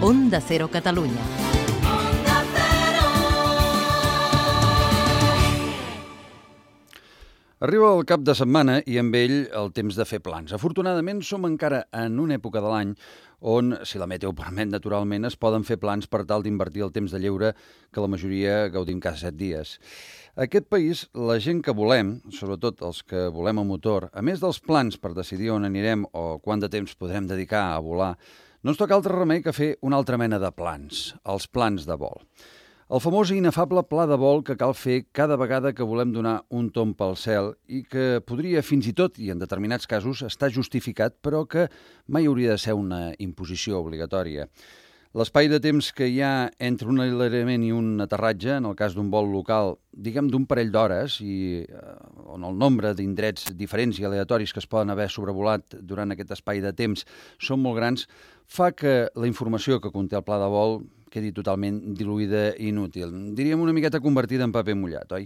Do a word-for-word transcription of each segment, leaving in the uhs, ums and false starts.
Onda Cero Catalunya. Arriba el cap de setmana i amb ell el temps de fer plans. Afortunadament som encara en una època de l'any on, si la meteo permet naturalment, es poden fer plans per tal d'invertir el temps de lleure que la majoria gaudim cada set dies. A aquest país, la gent que volem, sobretot els que volem a motor, a més dels plans per decidir on anirem o quant de temps podrem dedicar a volar, no ens toca altre remei que fer una altra mena de plans, els plans de vol. El famós i inefable pla de vol que cal fer cada vegada que volem donar un tomb pel cel i que podria fins i tot, i en determinats casos, estar justificat, però que mai hauria de ser una imposició obligatòria. L'espai de temps que hi ha entre un enlairament i un aterratge, en el cas d'un vol local, diguem d'un parell d'hores, i eh, on el nombre d'indrets diferents i aleatoris que es poden haver sobrevolat durant aquest espai de temps són molt grans, fa que la informació que conté el pla de vol quedi totalment diluïda i inútil. Diríem una miqueta convertida en paper mullat, oi?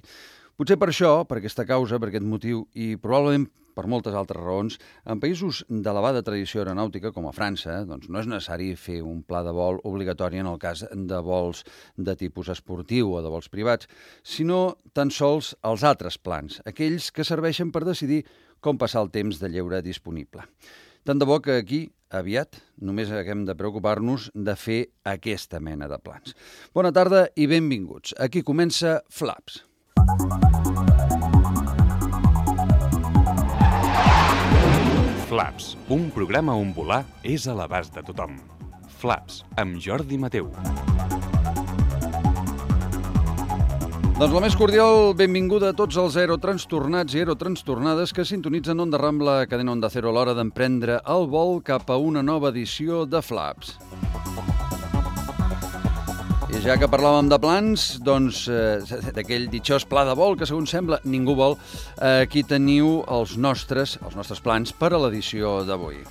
Potser per això, per aquesta causa, per aquest motiu, i probablement per moltes altres raons, en països d'elevada tradició aeronàutica, com a França, doncs no és necessari fer un pla de vol obligatori en el cas de vols de tipus esportiu o de vols privats, sinó tan sols els altres plans, aquells que serveixen per decidir com passar el temps de lleure disponible. Tant de bo que aquí, aviat, només haguem de preocupar-nos de fer aquesta mena de plans. Bona tarda i benvinguts. Aquí comença Flaps. Flaps, un programa on volar és a l'abast de tothom. Flaps, amb Jordi Mateu. Doncs la més cordial benvinguda a tots els aerotranstornats i aerotranstornades que sintonitzen Onda Rambla, cadena Onda Cero, a l'hora d'emprendre el vol cap a una nova edició de Flaps. I ja que parlàvem de plans, doncs, eh, d'aquell ditxós pla de vol que, segons sembla, ningú vol, eh, aquí teniu els nostres, els nostres plans per a l'edició d'avui.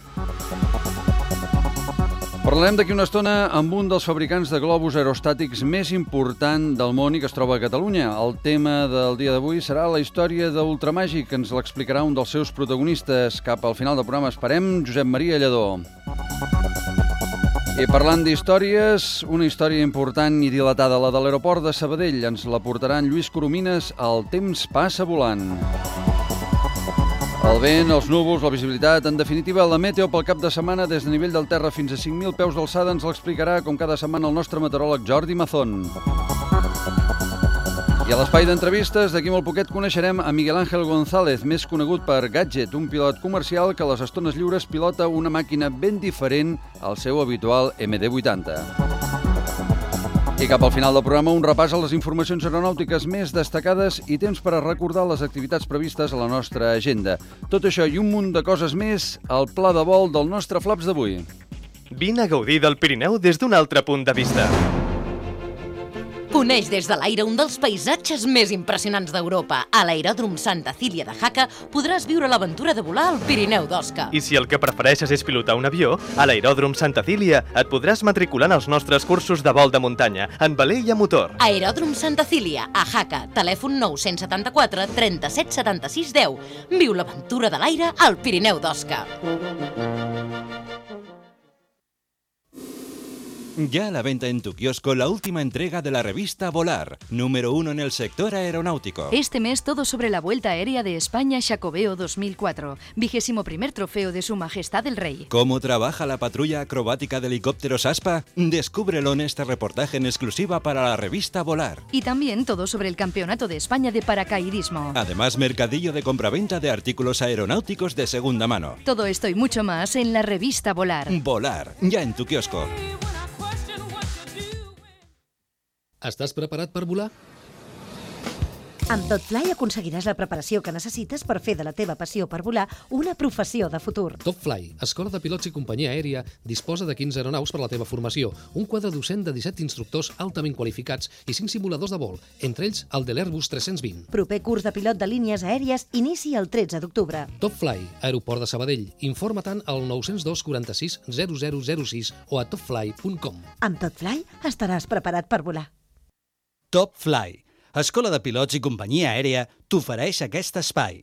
Parlarem d'aquí una estona amb un dels fabricants de globus aerostàtics més important del món i que es troba a Catalunya. El tema del dia d'avui serà la història d'Ultramàgic, que ens l'explicarà un dels seus protagonistes. Cap al final del programa esperem Josep Maria Lledó. I parlant d'històries, una història important i dilatada, la de l'aeroport de Sabadell. Ens la portarà en Lluís Coromines, El temps passa volant. El vent, els núvols, la visibilitat, en definitiva, la meteo pel cap de setmana des de nivell del terra fins a cinc mil peus d'alçada ens l'explicarà, com cada setmana, el nostre meteoròleg Jordi Mazón. I a l'espai d'entrevistes, d'aquí molt poquet, coneixerem a Miguel Ángel González, més conegut per Gadget, un pilot comercial que a les estones lliures pilota una màquina ben diferent al seu habitual M D vuitanta. I cap al final del programa, un repàs a les informacions aeronàutiques més destacades i temps per a recordar les activitats previstes a la nostra agenda. Tot això i un munt de coses més al pla de vol del nostre Flaps d'avui. Vine a gaudir del Pirineu des d'un altre punt de vista. Coneix des de l'aire un dels paisatges més impressionants d'Europa. A l'aeròdrom Santa Cília de Jaca podràs viure l'aventura de volar al Pirineu d'Osca. I si el que prefereixes és pilotar un avió, a l'aeròdrom Santa Cília et podràs matricular en els nostres cursos de vol de muntanya, en veler i a motor. Aeròdrom Santa Cília, a Jaca, telèfon nou set quatre, trenta-set, setanta-sis, deu. Viu l'aventura de l'aire al Pirineu d'Osca. Ya a la venta en tu kiosco la última entrega de la revista Volar, número uno en el sector aeronáutico. Este mes todo sobre la Vuelta Aérea de España Xacobeo dos mil cuatro, vigésimo primer trofeo de Su Majestad el Rey. ¿Cómo trabaja la patrulla acrobática de helicópteros ASPA? Descúbrelo en este reportaje en exclusiva para la revista Volar. Y también todo sobre el Campeonato de España de Paracaidismo. Además, mercadillo de compraventa de artículos aeronáuticos de segunda mano. Todo esto y mucho más en la revista Volar. Volar, ya en tu kiosco. Estàs preparat per volar? Amb TopFly aconseguiràs la preparació que necessites per fer de la teva passió per volar una professió de futur. TopFly, escola de pilots i companyia aèria, disposa de quinze aeronaus per la teva formació, un quadre docent de disset instructors altament qualificats i cinc simuladors de vol, entre ells el de l'Airbus tres-cents vint. Proper curs de pilot de línies aèries inici el tretze d'octubre. TopFly, aeroport de Sabadell. Informa-te'n al nou zero dos, quaranta-sis, zero zero zero sis o a topfly punt com. Amb TopFly estaràs preparat per volar. TopFly, escola de pilots i companyia aèria, t'ofereix aquest espai.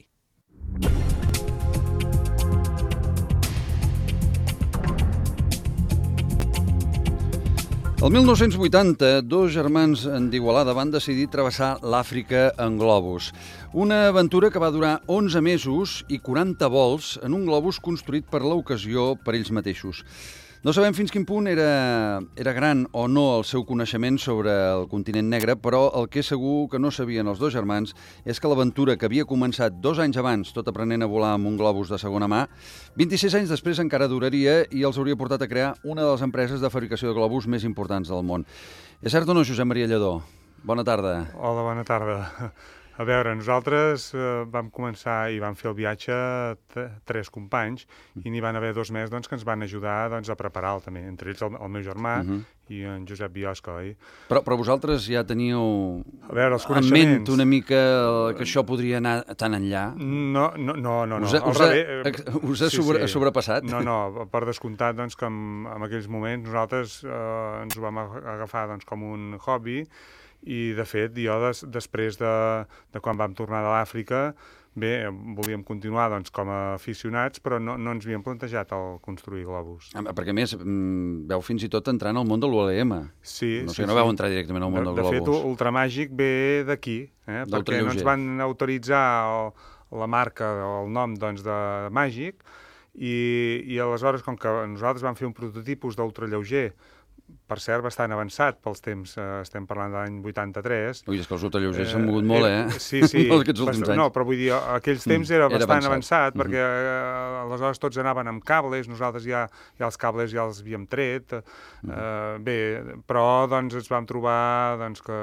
El mil nou-cents vuitanta, dos germans d'Igualada van decidir travessar l'Àfrica en globus. Una aventura que va durar onze mesos i quaranta vols en un globus construït per l'ocasió per ells mateixos. No sabem fins quin punt era, era gran o no el seu coneixement sobre el continent negre, però el que és segur que no sabien els dos germans és que l'aventura que havia començat dos anys abans, tot aprenent a volar amb un globus de segona mà, vint-i-sis anys després encara duraria i els hauria portat a crear una de les empreses de fabricació de globus més importants del món. És cert o no, Josep Maria Lledó? Bona tarda. Hola, bona tarda. A veure, nosaltres eh, vam començar i vam fer el viatge tres companys i n'hi van haver dos més doncs, que ens van ajudar doncs, a preparar-lo també, entre ells el, el meu germà uh -huh. i en Josep Biosca, oi? Però, però vosaltres ja teníeu a veure, els en ment una mica que això podria anar tan enllà? No, no, no. no, no. Us ha, us ha, us ha sí, sobre, sí. sobrepassat? No, no, per descomptat doncs, que en, en aquells moments nosaltres eh, ens ho vam agafar doncs, com un hobby. I, de fet, jo, des, després de, de quan vam tornar de l'Àfrica, bé, volíem continuar doncs, com a aficionats, però no, no ens havíem plantejat el construir globus. Ah, perquè, a més, veu fins i tot entrar en el món de l'U L M. Sí, no sé, sí, no sí. veu entrar directament al món de, del globus. De fet, Ultramàgic ve d'aquí, eh? perquè no ens van autoritzar el, la marca o el nom doncs, de Màgic, i, i aleshores, com que nosaltres vam fer un prototipus d'ultralleuger, per cert, bastant avançat pels temps, eh, estem parlant de l'any vuitanta-tres. Ui, és que els ultralleugers s'han mogut molt, eh? Sí, sí. Bast... No, però vull dir, aquells temps era, era bastant avançat, avançat mm -hmm. perquè eh, aleshores tots anaven amb cables, nosaltres ja, ja els cables ja els havíem tret. Eh, mm -hmm. Bé, però doncs ens vam trobar doncs, que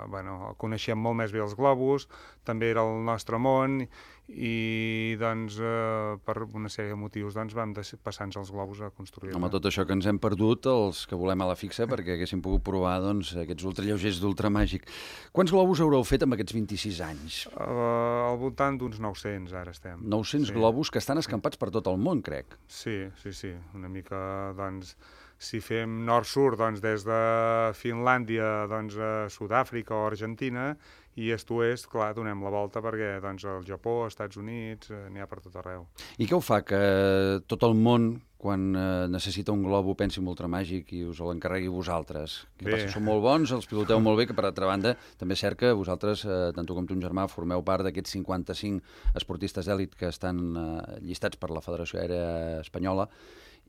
bueno, coneixíem molt més bé els globus, també era el nostre món, i doncs eh, per una sèrie de motius doncs, vam passar-nos els globus a construir. Home, tot això que ens hem perdut, els que volem a la fixa, perquè haguéssim pogut provar doncs, aquests ultralleugers d'Ultramàgic. Quants globus haureu fet amb aquests vint-i-sis anys? Uh, al voltant d'uns nou-cents, ara estem. nou-cents sí. globus que estan escampats per tot el món, crec. Sí, sí, sí. Una mica, doncs, si fem nord-sud, doncs, des de Finlàndia doncs, a Sud-àfrica o Argentina, i est-oest, clar, donem la volta perquè doncs, el Japó, els Estats Units, eh, n'hi ha per tot arreu. I què ho fa que tot el món, quan eh, necessita un globo, pensi en Ultramàgic i us l'encarregui vosaltres? Què passa? Sou molt bons, els piloteu molt bé, que per altra banda també és cert que vosaltres, eh, tant tu com ton germà, formeu part d'aquests cinquanta-cinc esportistes d'èlit que estan eh, llistats per la Federació Aèria Espanyola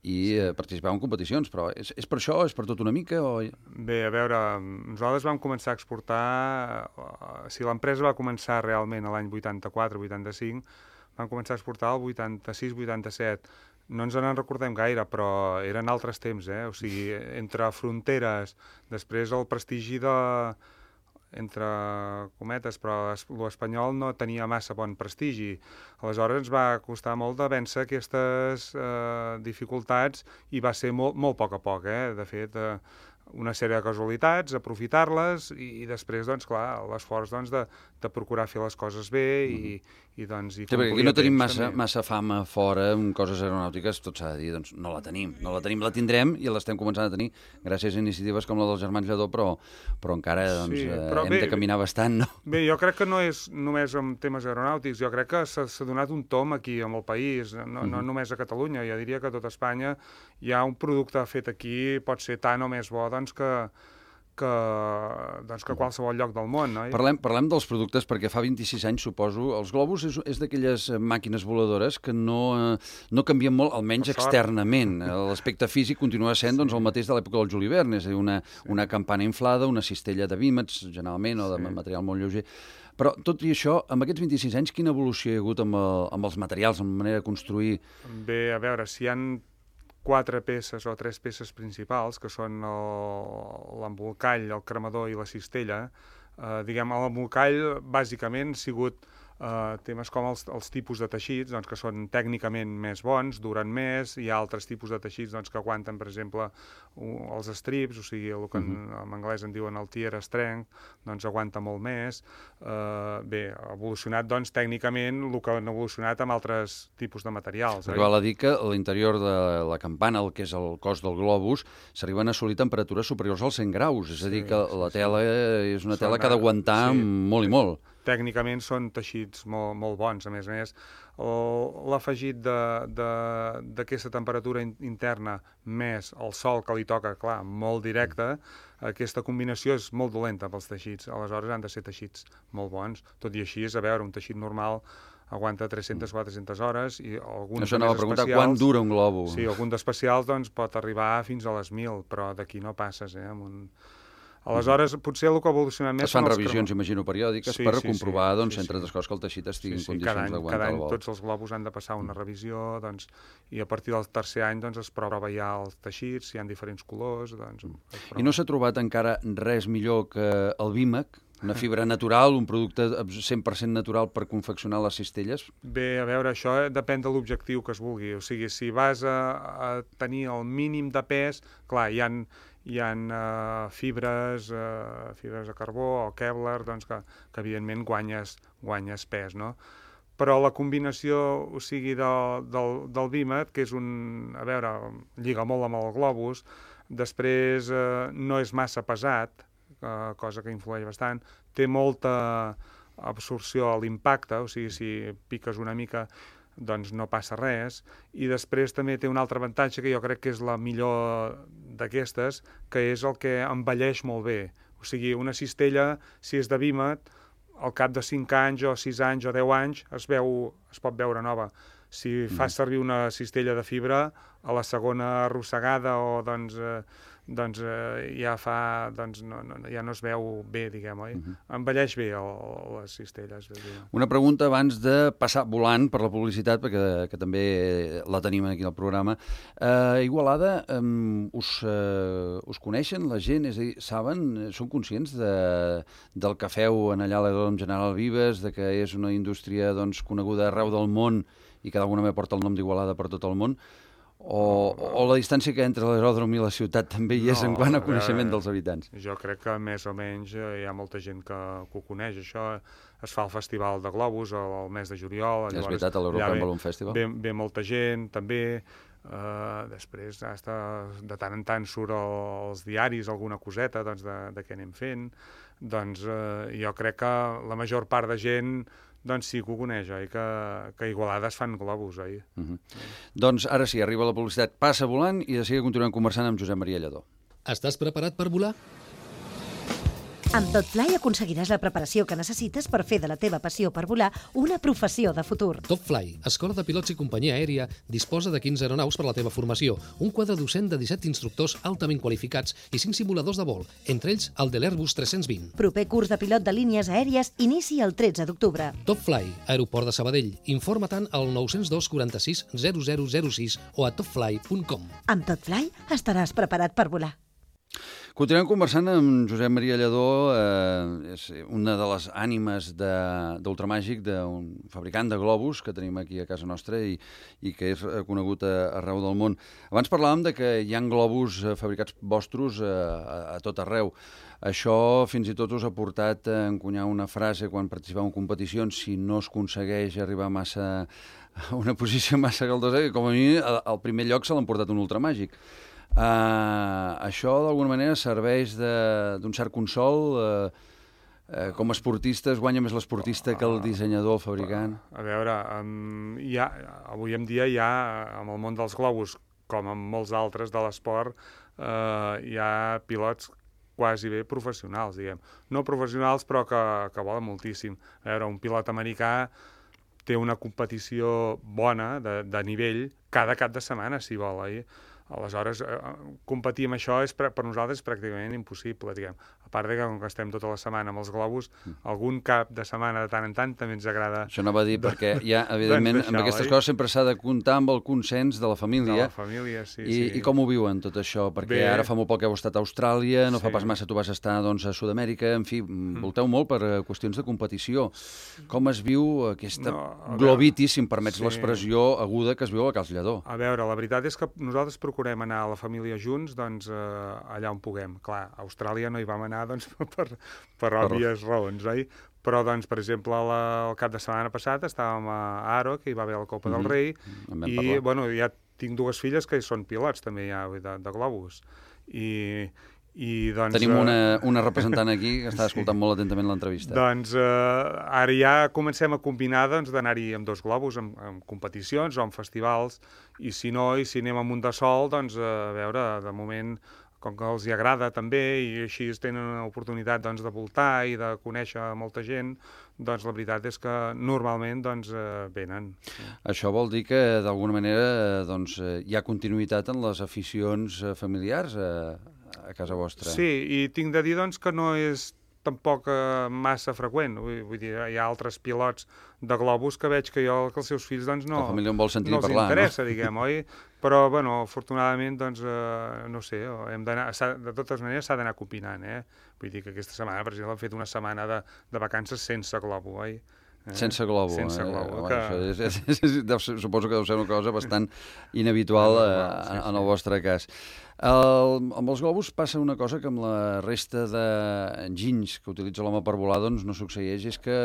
i eh, participeu en competicions, però és, és per això, és per tot una mica? O... Bé, a veure, nosaltres vam començar a exportar, uh, si l'empresa va començar realment a l'any vuitanta-quatre vuitanta-cinc, vam començar a exportar el vuitanta-sis vuitanta-set. No ens en recordem gaire, però eren altres temps, eh? O sigui, entre fronteres, després el prestigi de... entre cometes, però l'espanyol no tenia massa bon prestigi. Aleshores ens va costar molt de vèncer aquestes eh, dificultats i va ser molt, molt a poc a poc, eh? De fet, eh, una sèrie de casualitats, aprofitar-les i, i després, doncs, clar, l'esforç doncs, de, de procurar fer les coses bé i, i doncs... I sí, perquè aquí no tenim massa, massa fama fora en coses aeronàutiques, tot s'ha de dir, doncs no la tenim. No la tenim, la tindrem i l'estem començant a tenir gràcies a iniciatives com la dels germans Lledó, però, però encara doncs, sí, però eh, hem bé, de caminar bastant, no? Bé, jo crec que no és només en temes aeronàutics, jo crec que s'ha donat un tom aquí, amb el país, no, no uh-huh. només a Catalunya, jo diria que a tot Espanya hi ha un producte fet aquí, pot ser tant o més bo, doncs, que, que, doncs, que qualsevol lloc del món. No? Parlem, parlem dels productes perquè fa vint-i-sis anys, suposo, els globus és, és d'aquelles màquines voladores que no, no canvien molt, almenys externament. L'aspecte físic continua sent doncs, el mateix de l'època del Juli Verne, és a dir, una, sí. una campana inflada, una cistella de vímets, generalment, o de sí. material molt lleuger. Però, tot i això, amb aquests vint-i-sis anys, quina evolució hi ha hagut amb, el, amb els materials, amb la manera de construir? Bé, a veure, si hi ha quatre peces o tres peces principals, que són l'embolcall, el cremador i la cistella. Eh, diguem, l'embolcall bàsicament ha sigut eh, temes com els, els tipus de teixits, doncs, que són tècnicament més bons, duren més, hi ha altres tipus de teixits doncs, que aguanten, per exemple, uh, els strips, o sigui, el que en, uh-huh. en anglès en diuen el tear strength, doncs aguanta molt més. Eh, bé, ha evolucionat doncs, tècnicament el que han evolucionat amb altres tipus de materials. Perquè val a dir que a l'interior de la campana, el que és el cos del globus, s'arriben a assolir temperatures superiors als cent graus, és a dir, que la tela és una tela que ha d'aguantar molt i molt. tècnicament són teixits molt, molt bons. A més a més, l'afegit d'aquesta temperatura interna més el sol que li toca, clar, molt directe, aquesta combinació és molt dolenta pels teixits. Aleshores han de ser teixits molt bons. Tot i així, a veure, un teixit normal aguanta tres-centes a quatre-centes hores i alguns Això anava a preguntar quant dura un globus. Sí, algun d'especials doncs, pot arribar fins a les mil, però d'aquí no passes, eh? Amb un... Aleshores, potser el que ha evolucionat més... Es fan revisions, imagino, periòdiques sí, per sí, sí, sí, entre sí. altres coses, que el teixit estigui sí, sí. en condicions d'aguantar el vol. Cada any tots els globus han de passar una revisió, doncs, i a partir del tercer any doncs, es prova ja els teixits, si hi ha diferents colors... Doncs, I no s'ha trobat encara res millor que el Vímec, una fibra natural, un producte cent per cent natural per confeccionar les cistelles? Bé, a veure, això depèn de l'objectiu que es vulgui. O sigui, si vas a, a tenir el mínim de pes, clar, hi ha, hi ha uh, fibres, uh, fibres de carbó o Kevlar, doncs que, que evidentment guanyes, guanyes pes, no? Però la combinació, o sigui, del, del, del Vímec, que és un... A veure, lliga molt amb el globus, després uh, no és massa pesat, Uh, cosa que influeix bastant, té molta absorció a l'impacte, o sigui, si piques una mica doncs no passa res, i després també té un altre avantatge que jo crec que és la millor d'aquestes, que és el que envelleix molt bé. O sigui, una cistella, si és de Vímec, al cap de cinc anys o sis anys o deu anys es, veu, es pot veure nova. Si mm. fas servir una cistella de fibra, a la segona arrossegada o doncs... Eh, doncs eh, ja fa, doncs no, no, ja no es veu bé, diguem, oi? Uh-huh. Envelleix bé el, les cistelles. Una pregunta abans de passar volant per la publicitat, perquè que també la tenim aquí al programa. Uh, Igualada, um, us, uh, us coneixen la gent? És a dir, saben, són conscients de, del que feu en allà a l'aeròdrom General Vives, de que és una indústria doncs, coneguda arreu del món i que d'alguna manera porta el nom d'Igualada per tot el món? O, o la distància que entre l'aeròdrom i la ciutat també hi és no, en quant a coneixement dels habitants? Jo crec que més o menys hi ha molta gent que, que ho coneix. Això es fa al Festival de Globus el mes de juliol. És veritat, a l'European Balloon Festival. Ve, ve molta gent, també. Uh, després, hasta, de tant en tant surt als diaris alguna coseta doncs, de, de què anem fent. Doncs uh, jo crec que la major part de gent doncs sí que ho coneix, oi? Que, que a Igualada es fan globus, oi? Uh-huh. Doncs ara sí, arriba la publicitat, passa volant i de seguida continuem conversant amb Josep Maria Lladó. Estàs preparat per volar? Amb TopFly aconseguiràs la preparació que necessites per fer de la teva passió per volar una professió de futur. TopFly, escola de pilots i companyia aèria, disposa de quinze aeronaus per a la teva formació, un quadre docent de disset instructors altament qualificats i cinc simuladors de vol, entre ells el de l'Airbus tres-cents vint. Proper curs de pilot de línies aèries inici el tretze d'octubre. TopFly, aeroport de Sabadell. Informa-te'n al nou zero dos quaranta-sis zero zero zero sis o a topfly punt com. Amb TopFly estaràs preparat per volar. Continuem conversant amb Josep Maria Lladó, eh, és una de les ànimes d'Ultramàgic, d'un fabricant de globus que tenim aquí a casa nostra i, i que és conegut a, arreu del món. Abans parlàvem de que hi ha globus fabricats vostres a, a, a tot arreu. Això fins i tot us ha portat a encunyar una frase quan participeu en competicions: si no es aconsegueix arribar massa a una posició massa galdosa, que com a mi al primer lloc se l'han portat un Ultramàgic. Uh, això d'alguna manera serveix d'un cert consol, uh, uh, com a esportistes guanya més l'esportista que el dissenyador, el fabricant? A veure, um, hi ha, avui en dia hi ha, en el món dels globus, com en molts altres de l'esport, uh, hi ha pilots quasi bé professionals, diguem. No professionals, però que, que volen moltíssim. A veure, un pilot americà té una competició bona, de, de nivell, cada cap de setmana, si vol, oi? Aleshores, eh, competir amb això és, per nosaltres és pràcticament impossible, diguem. A part de que, com que estem tota la setmana amb els globus, algun cap de setmana de tant en tant també ens agrada... Això anava a dir, perquè ja, evidentment, amb aquestes coses sempre s'ha de comptar amb el consens de la família. De la família, sí, I, sí. I com ho viuen, tot això? Perquè Bé, ara fa molt poc que heu estat a Austràlia, no sí. fa pas massa tu vas estar doncs, a Sud-amèrica, en fi, mm. volteu molt per qüestions de competició. Com es viu aquesta no, globitis, si em permets sí. l'expressió aguda que es viu a Cal Lladó? A veure, la veritat és que nosaltres procurem anar a la família junts doncs, eh, allà on puguem. Clar, a Austràlia no hi vam anar doncs, per, per òbvies per... raons, oi? Però, doncs, per exemple, la, el cap de setmana passat estàvem a Aro, que hi va haver la Copa mm-hmm. del Rei, i parlar. bueno, ja tinc dues filles que són pilots també ja, de, de globus. I, I, doncs, Tenim una, una representant aquí que està escoltant sí. molt atentament l'entrevista. Doncs eh, ara ja comencem a combinar doncs, d'anar-hi amb dos globus, amb, amb competicions o amb festivals, i si no, i si anem amb un de sol, doncs a veure, de moment, com que els hi agrada també, i així tenen una oportunitat doncs, de voltar i de conèixer molta gent, doncs la veritat és que normalment doncs, eh, venen. Això vol dir que d'alguna manera doncs, hi ha continuïtat en les aficions familiars a, a casa vostra. Sí, i tinc de dir doncs, que no és tampoc eh, massa freqüent. Vull, vull dir, hi ha altres pilots de globus que veig que jo, que els seus fills doncs, no, la família en vol sentir no els parlar, interessa, no? diguem, oi? Però, bueno, afortunadament, doncs, eh, no sé, hem d'anar, de totes maneres s'ha d'anar combinant, eh? Vull dir que aquesta setmana, per exemple, hem fet una setmana de, de vacances sense globo, oi? Eh? Sense globo. Sense eh? globo. Home, Que... això és, és, és, és, suposo que deu ser una cosa bastant inhabitual eh, sí, sí. en el vostre cas. El, amb els globus passa una cosa que amb la resta d'enginys que utilitza l'home per volar doncs no succeeix, és que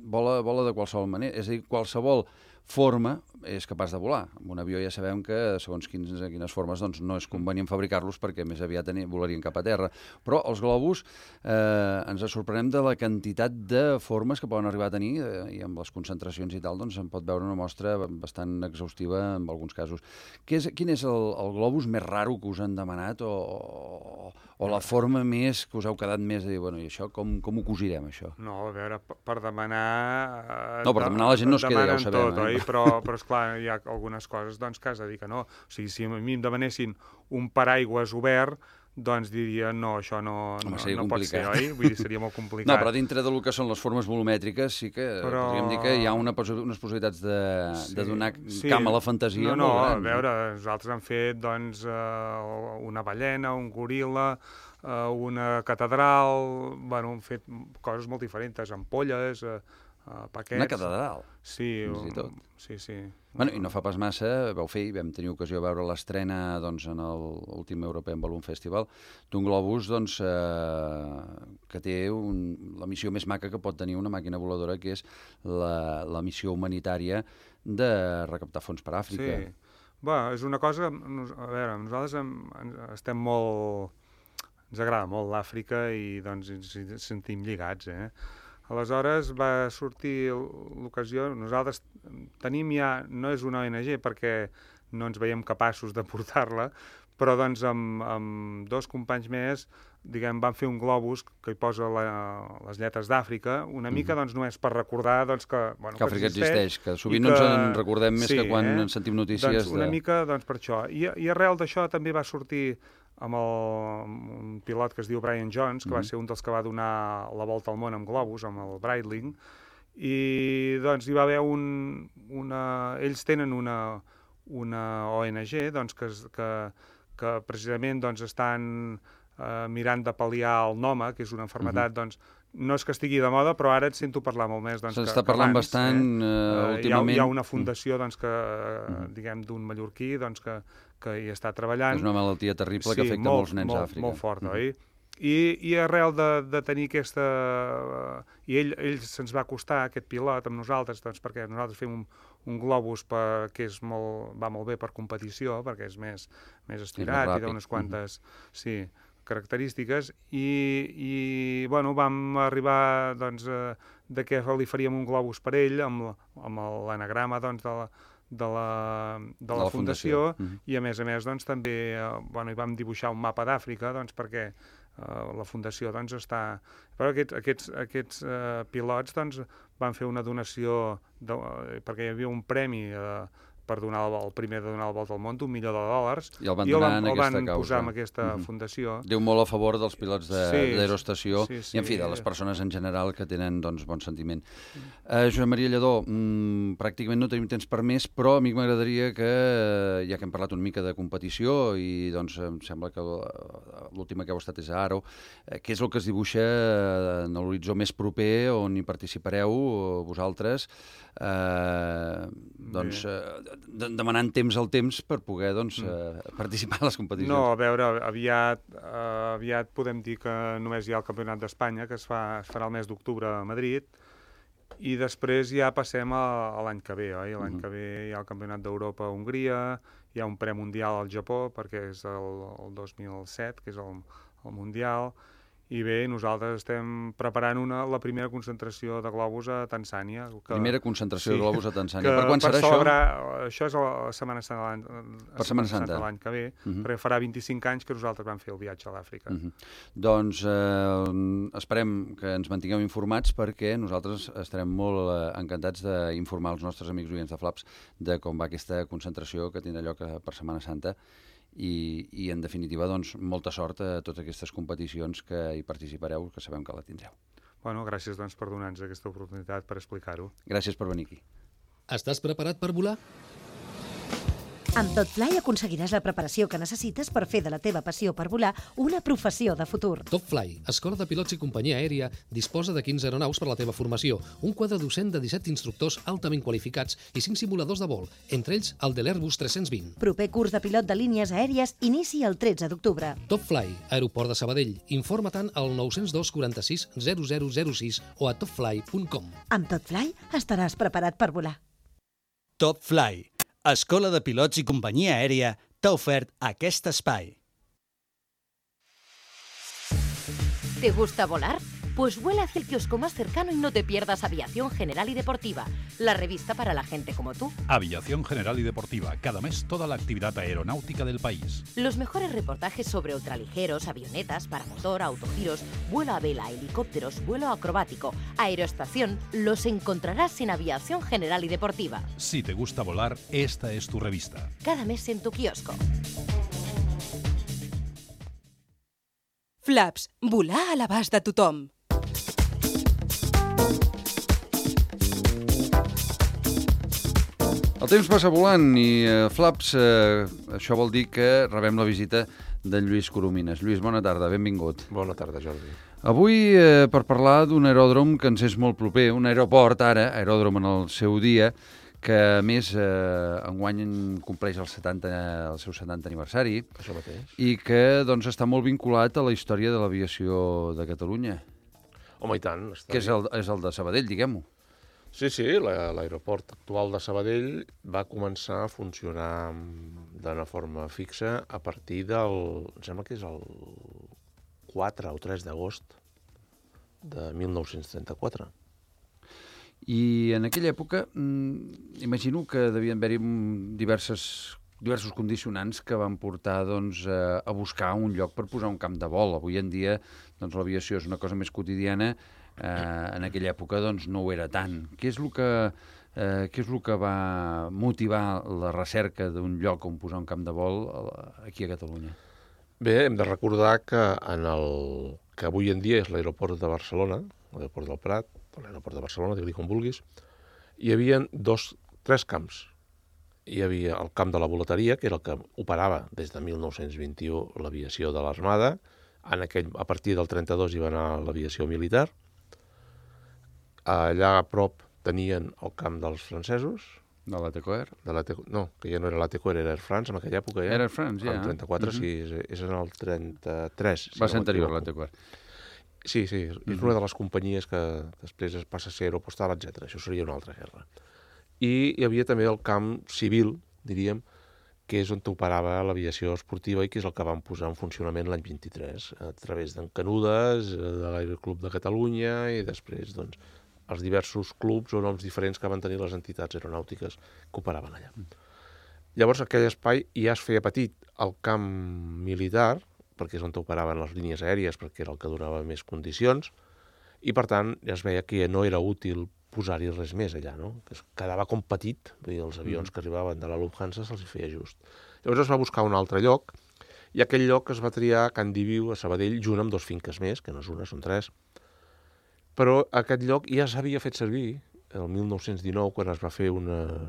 vola, vola de qualsevol manera, és a dir, qualsevol forma és capaç de volar. Amb un avió ja sabem que, segons quins, quines formes, doncs no és convenient fabricar-los perquè més aviat volarien cap a terra. Però els globus eh, ens sorprenem de la quantitat de formes que poden arribar a tenir eh, i amb les concentracions i tal, doncs en pot veure una mostra bastant exhaustiva en alguns casos. Què és, quin és el, el globus més raro que us han demanat o, o, o la forma més que us heu quedat més de dir, bueno, i això com, com ho cosirem, això? No, a veure, per demanar... Eh, no, per demanar la gent no es queda, ja ho sabem. Tot, eh? oi? Però, però esclar, hi ha algunes coses doncs, que has de dir que no. O sigui, si a mi em demanessin un paraigües obert, doncs diria, no, això no, Home, no, no pot ser, oi? Vull dir, seria molt complicat. No, però dintre del que són les formes volumètriques sí que però... podríem dir que hi ha una, unes possibilitats de, sí, de donar sí. camp a la fantasia. No, no, molt gran, a veure, nosaltres hem fet doncs, uh, una ballena, un goril·la, uh, una catedral, bueno, hem fet coses molt diferents, ampolles, uh, uh, paquets... Una catedral? Sí, fins i tot. Sí, sí. Bueno, i no fa pas massa, vau fer, i vam tenir ocasió de veure l'estrena doncs, en l'últim European Balloon Festival, d'un globus doncs, eh, que té un, la missió més maca que pot tenir una màquina voladora, que és la, la missió humanitària de recaptar fons per Àfrica. Sí. Bé, és una cosa... A veure, nosaltres hem, estem molt... Ens agrada molt l'Àfrica i doncs ens sentim lligats, eh? Aleshores va sortir l'ocasió, nosaltres tenim ja, no és una O N G perquè no ens veiem capaços de portar-la, però doncs amb, amb dos companys més, diguem, van fer un globus que hi posa la, les lletres d'Àfrica, una mica mm. doncs només per recordar doncs, que, bueno, que Àfrica existeix, existeix, que sovint no ens en recordem més sí, que quan eh? en sentim notícies. Doncs una de... mica doncs, per això. I, i arrel d'això també va sortir amb, el, amb un pilot que es diu Brian Jones, que mm-hmm. va ser un dels que va donar la volta al món amb globus, amb el Breitling, i doncs hi va haver un... Una... Ells tenen una, una O N G doncs, que, que, que precisament doncs, estan eh, mirant de pal·liar el Noma, que és una malaltia, mm-hmm. doncs, no és que estigui de moda, però ara et sento parlar molt més. Doncs, S'està parlant abans, bastant eh? uh, últimament. Hi ha, hi ha una fundació doncs, que, mm. diguem, d'un mallorquí doncs, que, que hi està treballant. És una malaltia terrible sí, que afecta molt, molts nens molt, d'Àfrica. Molt fort, mm. oi? I, i arrel de, de tenir aquesta... I ell, ell se'ns va costar, aquest pilot, amb nosaltres, doncs, perquè nosaltres fem un, un globus per, que és molt, va molt bé per competició, perquè és més, més estirat i d'unes quantes... Mm-hmm. Sí, característiques i, i bueno, vam arribar doncs, eh, de que li faríem un globus per ell amb, amb l'anagrama doncs, de la, de la, de la, la fundació, fundació. Mm-hmm. I a més a més doncs, també eh, bueno, hi vam dibuixar un mapa d'Àfrica doncs, perquè eh, la fundació doncs, està... Però aquests, aquests, aquests eh, pilots doncs, van fer una donació de, eh, perquè hi havia un premi eh, per donar el, el primer de donar la volta al món d'un milió de dòlars. I el van donar en aquesta causa. I el van posar en aquesta mm-hmm. fundació. Diu molt a favor dels pilots d'aeroestació sí, sí, sí. i, en fi, de les persones en general que tenen doncs, bon sentiment. Mm. Uh, Josep Maria Lledó, mm, pràcticament no tenim temps per més, però a mi m'agradaria que, ja que hem parlat una mica de competició i doncs em sembla que l'última que heu estat és a Aro, eh, què és el que es dibuixa en l'horitzó més proper on hi participareu vosaltres, eh, doncs... Eh, demanant temps al temps per poder doncs, eh, participar a les competicions. No, a veure, aviat, eh, aviat podem dir que només hi ha el Campionat d'Espanya, que es, fa, es farà el mes d'octubre a Madrid, I després ja passem a, a l'any que ve, oi? L'any uh-huh. que ve hi ha el Campionat d'Europa a Hongria, hi ha un premundial al Japó, perquè és el, el dos mil set, que és el, el Mundial, i bé, nosaltres estem preparant una, la primera concentració de globus a Tanzània. Que, primera concentració sí, de globus a Tanzània. Que, per quan per serà celebrar, això? Això és la Setmana Santa per Setmana Santa de l'any que ve, uh-huh. perquè farà vint-i-cinc anys que nosaltres vam fer el viatge a l'Àfrica. Uh-huh. Doncs eh, esperem que ens mantingueu informats, perquè nosaltres estarem molt eh, encantats d'informar els nostres amics oients de Flaps de com va aquesta concentració que tindrà lloc per Setmana Santa. I, i en definitiva, doncs, molta sort a totes aquestes competicions que hi participareu, que sabem que la tindreu. Bueno, gràcies doncs, per donar-nos aquesta oportunitat per explicar-ho. Gràcies per venir aquí. Estàs preparat per volar? Amb TopFly aconseguiràs la preparació que necessites per fer de la teva passió per volar una professió de futur. TopFly, escola de pilots i companyia aèria, disposa de quinze aeronaus per la teva formació, un quadre docent de disset instructors altament qualificats i cinc simuladors de vol, entre ells el de l'Airbus tres-cents vint. Proper curs de pilot de línies aèries inici el tretze d'octubre. TopFly, aeroport de Sabadell. Informa-te'n al nou zero dos quaranta-sis zero zero zero sis o a topfly punt com. Amb TopFly estaràs preparat per volar. TopFly, escola de pilots i companyia aèria, t'ha ofert aquest espai. ¿Te gusta volar? Pues vuela hacia el kiosco más cercano y no te pierdas Aviación General y Deportiva, la revista para la gente como tú. Aviación General y Deportiva, cada mes toda la actividad aeronáutica del país. Los mejores reportajes sobre ultraligeros, avionetas, paramotor, autogiros, vuelo a vela, helicópteros, vuelo acrobático, aeroestación, los encontrarás en Aviación General y Deportiva. Si te gusta volar, esta es tu revista. Cada mes en tu kiosco. Flaps, volar a l'abast de tothom. El temps passa volant i, eh, Flaps, eh, això vol dir que rebem la visita d'en Lluís Coromines. Lluís, bona tarda, benvingut. Bona tarda, Jordi. Avui, eh, per parlar d'un aeròdrom que ens és molt proper, un aeroport ara, aeròdrom en el seu dia, que a més eh, enguany compleix el, setanta, el seu setanta aniversari. Això mateix. I que doncs, està molt vinculat a la història de l'aviació de Catalunya. Home, i tant. Està que és el, és el de Sabadell, diguem-ho. Sí, sí, l'aeroport actual de Sabadell va començar a funcionar d'una forma fixa a partir del... em sembla que és el quatre o tres d'agost de mil nou-cents trenta-quatre. I en aquella època, mmm, imagino que devien haver-hi diverses, diversos condicionants que van portar doncs, a, a buscar un lloc per posar un camp de vol. Avui en dia doncs, l'aviació és una cosa més quotidiana, eh, en aquella època doncs, no ho era tant. Què és el que, eh, què és el que va motivar la recerca d'un lloc on posar un camp de vol aquí a Catalunya? Bé, hem de recordar que en el que avui en dia és l'aeroport de Barcelona, l'aeroport del Prat, l'aeroport de Barcelona, digue-li com vulguis, hi havia dos, tres camps. Hi havia el camp de la volateria, que era el que operava des de mil nou-cents vint-i-u l'aviació de l'Armada. En aquell, a partir del trenta-dos hi va anar l'aviació militar. Allà a prop tenien el camp dels francesos. De l'Atecoer? De no, que ja no era l'Atecoer, era Air France, en aquella època ja. Era Air France, ja. En el trenta-quatre, uh-huh. sí, és en el trenta-tres. Va ser anterior l'Atecoer. Sí, sí, és uh-huh. una de les companyies que després es passa a ser Aeropostal, etcètera. Això seria una altra guerra. I hi havia també el camp civil, diríem, que és on operava l'aviació esportiva i que és el que van posar en funcionament l'any vint-i-tres, a través d'en Canudes, de l'Aeroclub de Catalunya i després, doncs, els diversos clubs o noms diferents que van tenir les entitats aeronàutiques que operaven allà. Llavors, aquell espai ja es feia petit. El camp militar, perquè és on operaven les línies aèries, perquè era el que donava més condicions, i per tant ja es veia que no era útil posar-hi res més allà, no? Que es quedava com petit, vull dir, els avions mm. que arribaven de la Lufthansa se'ls feia just. Llavors es va buscar un altre lloc, i aquell lloc es va triar a Can Diviu, a Sabadell, junt amb dos finques més, que no és una, són tres. Però aquest lloc ja s'havia fet servir el mil nou-cents dinou, quan es va fer una,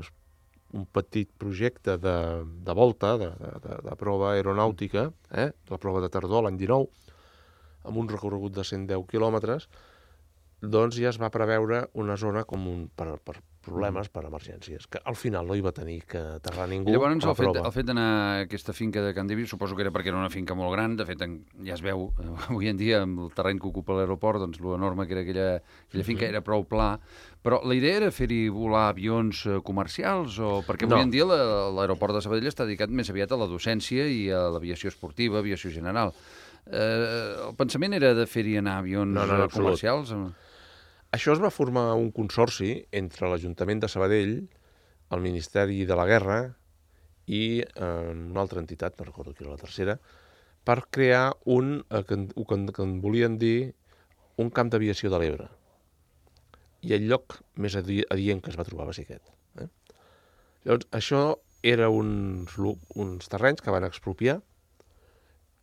un petit projecte de, de volta, de, de, de prova aeronàutica, eh? la prova de tardor l'any dinou, amb un recorregut de cent deu quilòmetres, doncs ja es va preveure una zona com un, per, per problemes per emergències, que al final no hi va tenir que aterrar ningú. I llavors a la el fet, prova. el fet d'anar a aquesta finca de Can Divi, suposo que era perquè era una finca molt gran, de fet en- ja es veu, eh, avui en dia amb el terreny que ocupa l'aeroport, doncs lo enorme que era aquella, aquella finca Mhm. era prou pla, però la idea era fer-hi volar avions eh, comercials, o perquè No. avui en dia la- l'aeroport de Sabadell està dedicat més aviat a la docència i a l'aviació esportiva, aviació general. Eh, el pensament era de fer-hi anar avions No, no, en eh, absolut. comercials? o- Això es va formar un consorci entre l'Ajuntament de Sabadell, el Ministeri de la Guerra i eh, una altra entitat, no recordo qui era la tercera, per crear un, eh, que, en- que, en- que en volien dir un camp d'aviació de l'Ebre. I el lloc més adi- adient que es va trobar va ser aquest. Eh? Llavors, això era uns, lu- uns terrenys que van expropiar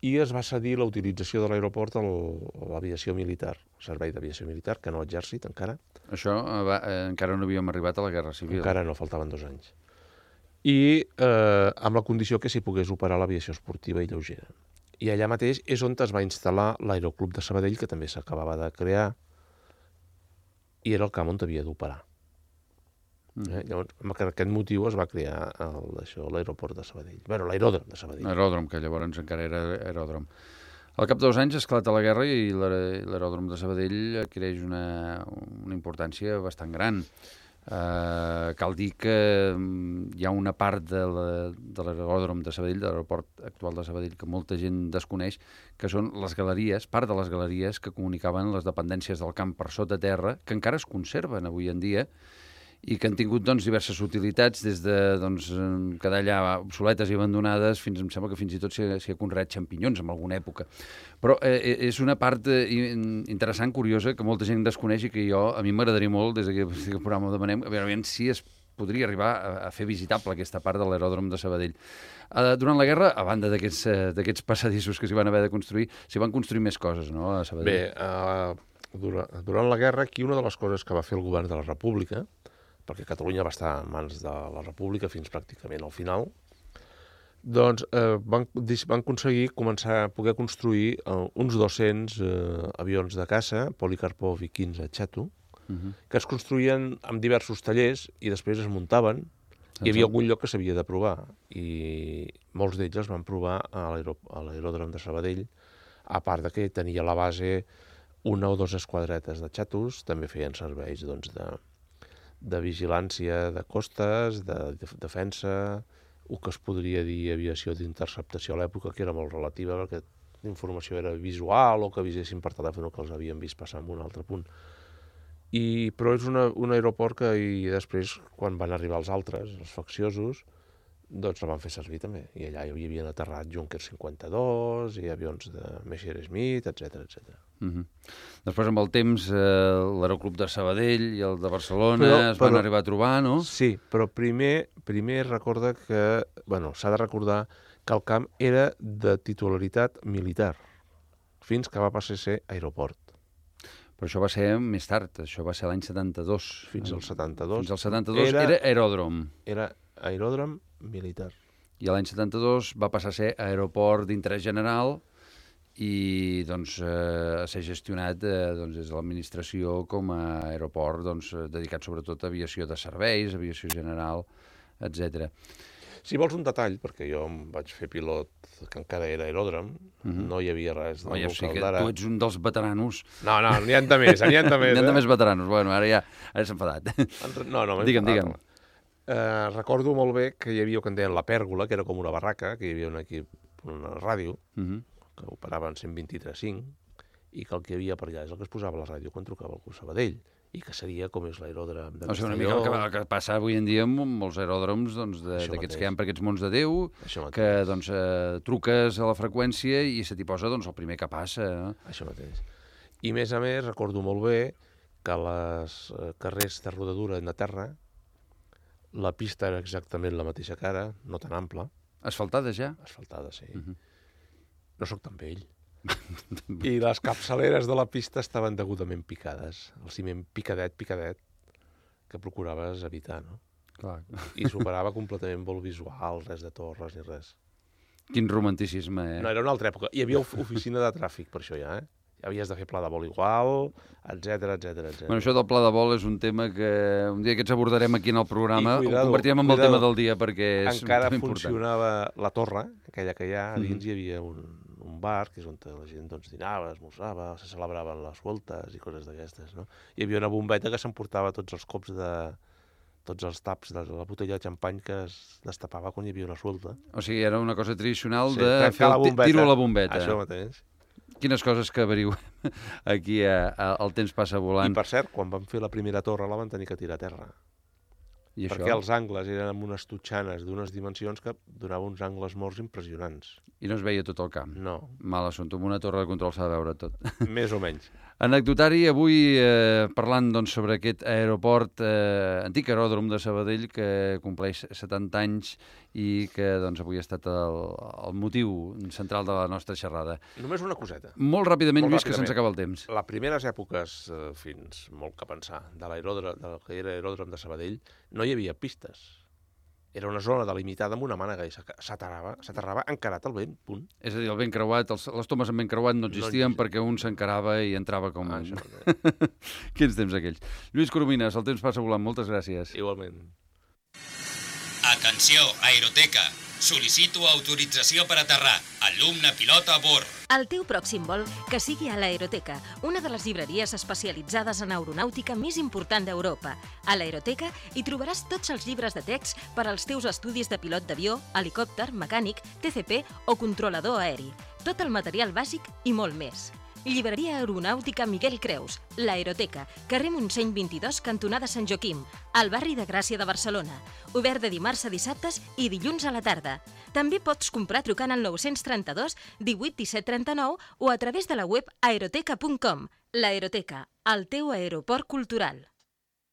i es va cedir la utilització de l'aeroport al- a l'aviació militar, al servei d'aviació militar, que no exèrcit encara. Això eh, va, eh, encara no havíem arribat a la Guerra Civil. Encara no, faltaven dos anys. I eh, amb la condició que s'hi pogués operar l'aviació esportiva i lleugera. I allà mateix és on es va instal·lar l'Aeroclub de Sabadell, que també s'acabava de crear, i era el camp on havia d'operar. Mm. Eh? Llavors, per aquest motiu es va crear el- això, l'aeroport de Sabadell. Bé, l'aeròdrom de Sabadell. Aeròdrom, que llavors encara era aeròdrom. Al cap de dos anys esclata la guerra i l'aer- l'aeròdrom de Sabadell adquireix una, una importància bastant gran. Uh, cal dir que mm, hi ha una part de la- de l'aeròdrom de Sabadell, de l'aeroport actual de Sabadell, que molta gent desconeix, que són les galeries, part de les galeries que comunicaven les dependències del camp per sota terra, que encara es conserven avui en dia, i que han tingut doncs, diverses utilitats, des de doncs, eh, quedar allà obsoletes i abandonades, fins em sembla que fins i tot s'hi ha- s'hi ha conreat xampinyons en alguna època. Però eh, és una part eh, in- interessant, curiosa, que molta gent desconeix i que jo, a mi m'agradaria molt, des d'aquest des programa ho demanem, a veure, a veure si es podria arribar a, a fer visitable aquesta part de l'aeròdrom de Sabadell. Eh, durant la guerra, a banda d'aquests eh, d'aquests passadissos que s'hi van haver de construir, s'hi van construir més coses, no?, a Sabadell. Bé, uh, durant, durant la guerra, aquí una de les coses que va fer el govern de la República, perquè Catalunya va estar en mans de la República fins pràcticament al final, doncs eh, van, dis- van aconseguir començar a poder construir eh, uns dos-cents eh, avions de caça, Polikarpov i quinze Chato, Mhm. que es construïen amb diversos tallers i després es muntaven. Hi havia algun lloc que s'havia de provar i molts d'ells es van provar a l'aero- a l'aeròdrom de Sabadell, a part de que tenia a la base una o dues esquadretes de xatos, també feien serveis doncs, de, de vigilància de costes, de, de defensa, el que es podria dir aviació d'interceptació a l'època, que era molt relativa, perquè l'informació era visual o que avisessin per telèfon que els havien vist passar en un altre punt. I, però és una, un aeroport que i després, quan van arribar els altres, els facciosos, doncs la van fer servir també. I allà hi havien aterrat Junker cinquanta dos i avions de Messerschmitt, etcètera, etcètera. Uh -huh. Després, amb el temps, eh, l'Aeroclub de Sabadell i el de Barcelona Però- es van però- arribar a trobar, no? Sí, però primer, primer recorda que... Bueno, s'ha de recordar que el camp era de titularitat militar, fins que va passar a ser aeroport. Però això va ser més tard, això va ser l'any setanta-dos. Fins al setanta-dos. Fins al setanta-dos era, era aeròdrom. Era aeròdrom militar. I l'any setanta-dos va passar a ser aeroport d'interès general i doncs, eh, a ser gestionat eh, doncs, des de l'administració com a aeroport doncs, eh, dedicat sobretot a aviació de serveis, aviació general, etcètera. Si vols un detall, perquè jo em vaig fer pilot que encara era aeròdrom, uh -huh. no hi havia res del Oh, ja local sé que d'ara. tu ets un dels veteranos. No, no, n'hi ha de més, n'hi ha de més. N'hi ha de eh? més veteranos. Bueno, ara ja ara s'ha enfadat. No, no, m'he digue'm, enfadat. digue'm. Eh, recordo molt bé que hi havia el que en deien la pèrgola, que era com una barraca, que hi havia un equip, una ràdio, Uh -huh. que operava en cent vint-i-tres cinc, i que el que hi havia per allà és el que es posava a la ràdio quan trucava el Sabadell, i que seria com és l'aeròdrom de O sigui, una mica el que, el que passa avui en dia amb molts aeròdroms doncs, Això d'aquests mateix. que hi ha per aquests mons de Déu, Això que doncs, eh, truques a la freqüència i se t'hi posa doncs, el primer que passa. No? Això mateix. I més a més, recordo molt bé que les eh, carrers de rodadura de terra, la pista era exactament la mateixa cara, no tan ampla. Asfaltada ja? Asfaltada, sí. Uh -huh. No sóc tan vell. I les capçaleres de la pista estaven degudament picades. El ciment picadet, picadet, que procuraves evitar, no? Clar. I superava completament vol visual, res de torres ni res. Quin romanticisme, eh? No, era una altra època. Hi havia of- oficina de tràfic per això ja, eh? havies de fer pla de vol igual, etcètera, etcètera, etcètera. Bueno, això del pla de vol és un tema que un dia que ens abordarem aquí en el programa, cuidado, ho convertirem en el cuidado, tema del dia perquè és encara un tema important. funcionava la torre, aquella que hi ha, a dins Mhm. hi havia un, un bar, que és on la gent doncs, dinava, esmorzava, se celebraven les voltes i coses d'aquestes, no? Hi havia una bombeta que s'emportava tots els cops de... tots els taps de la botella de xampany que es destapava quan hi havia una suelta. O sigui, era una cosa tradicional Sí, de trencar fer la el ti- bombeta. tiro a la bombeta. Això mateix. Quines coses que averiguem aquí a, a, el temps passa volant. I per cert, quan vam fer la primera torre la van tenir que tirar a terra. I perquè això? els angles eren amb unes totxanes d'unes dimensions que donaven uns angles morts impressionants. I no es veia tot el camp. No. Mal assumpte. Amb una torre de control s'ha de veure tot. Més o menys. Anecdotari, avui eh, parlant doncs, sobre aquest aeroport, eh, antic aeròdrom de Sabadell, que compleix setanta anys i que doncs, avui ha estat el, el motiu central de la nostra xerrada. Només una coseta. Molt ràpidament, Molt Lluís, que ràpidament. se'ns acaba el temps. Les primeres èpoques, eh, fins molt que pensar, de l'aeròdrom, del que era aeròdrom de Sabadell, no hi havia pistes. Era una zona delimitada amb una mànega i s'aterrava, s'aterrava encarat al vent, punt. És a dir, el vent creuat, els, les tomes amb vent creuat no existien no perquè un s'encarava i entrava com... Ah, això, Quins temps aquells. Lluís Coromines, el temps passa volant. Moltes gràcies. Igualment. Atenció, aeroteca. Sol·licito autorització per aterrar. Alumne pilot a bord. El teu pròxim vol que sigui a l'Aeroteca, una de les llibreries especialitzades en aeronàutica més important d'Europa. A l'Aeroteca hi trobaràs tots els llibres de text per als teus estudis de pilot d'avió, helicòpter, mecànic, T C P o controlador aeri. Tot el material bàsic i molt més. Llibreria Aeronàutica Miguel Creus, l'Aeroteca, carrer Montseny vint-i-dos, cantonada Sant Joaquim, al barri de Gràcia de Barcelona. Obert de dimarts a dissabtes i dilluns a la tarda. També pots comprar trucant al nou trenta-dos divuit disset trenta-nou o a través de la web aeroteca punt com. L'Aeroteca, el teu aeroport cultural.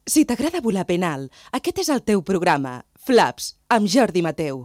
Si t'agrada volar ben alt, aquest és el teu programa. Flaps, amb Jordi Mateu.